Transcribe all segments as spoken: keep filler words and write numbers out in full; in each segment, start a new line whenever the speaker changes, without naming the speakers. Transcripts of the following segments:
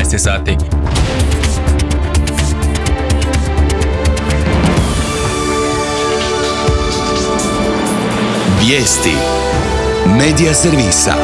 jedanaest je sati.
Vijesti Medija servisa.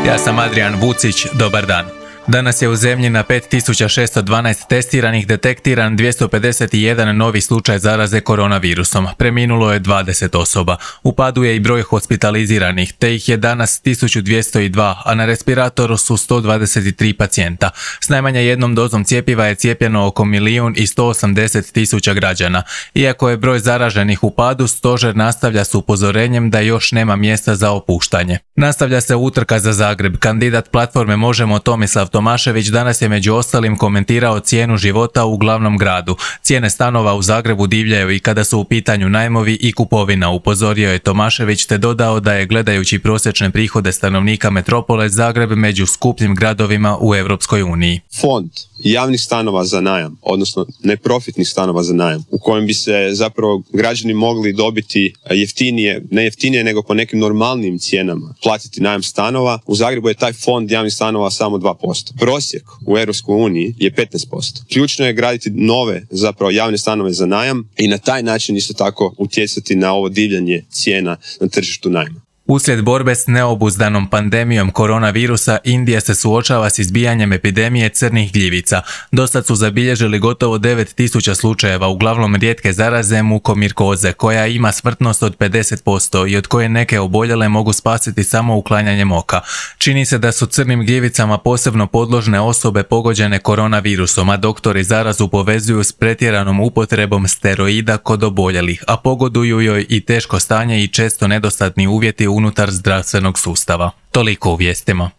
Ja sam Adrian Vucić, dobar dan. Danas je u zemlji na pet tisuća šesto dvanaest testiranih detektiran dvjesto pedeset jedan novi slučaj zaraze koronavirusom. Preminulo je dvadeset osoba. U padu je i broj hospitaliziranih, te ih je danas tisuću dvjesto dva, a na respiratoru su sto dvadeset tri pacijenta. S najmanje jednom dozom cjepiva je cijepljeno oko milijun i sto osamdeset tisuća građana. Iako je broj zaraženih u padu, stožer nastavlja s upozorenjem da još nema mjesta za opuštanje. Nastavlja se utrka za Zagreb. Kandidat platforme Možemo Tomislav Tomašević danas je među ostalim komentirao cijenu života u glavnom gradu. Cijene stanova u Zagrebu divljaju i kada su u pitanju najmovi i kupovina, upozorio je Tomašević te dodao da je gledajući prosječne prihode stanovnika metropole Zagreb među skupljim gradovima u Europskoj uniji.
Fond javnih stanova za najam, odnosno neprofitnih stanova za najam, u kojem bi se zapravo građani mogli dobiti jeftinije, ne jeftinije nego po nekim normalnim cijenama platiti najam stanova. U Zagrebu je taj fond javnih stanova samo dva posto. Prosjek u Europskoj uniji je petnaest posto. Ključno je graditi nove zapravo javne stanove za najam i na taj način isto tako utjecati na ovo divljanje cijena na tržištu najma.
Uslijed borbe s neobuzdanom pandemijom koronavirusa, Indija se suočava s izbijanjem epidemije crnih gljivica. Dosad su zabilježili gotovo devet tisuća slučajeva, uglavnom rijetke zaraze mukomirkoze, koja ima smrtnost od pedeset posto i od koje neke oboljele mogu spasiti samo uklanjanjem oka. Čini se da su crnim gljivicama posebno podložne osobe pogođene koronavirusom, a doktori zarazu povezuju s pretjeranom upotrebom steroida kod oboljelih, a pogoduju joj i teško stanje i često nedostatni uvjeti unutar zdravstvenog sustava. Toliko u vijestima.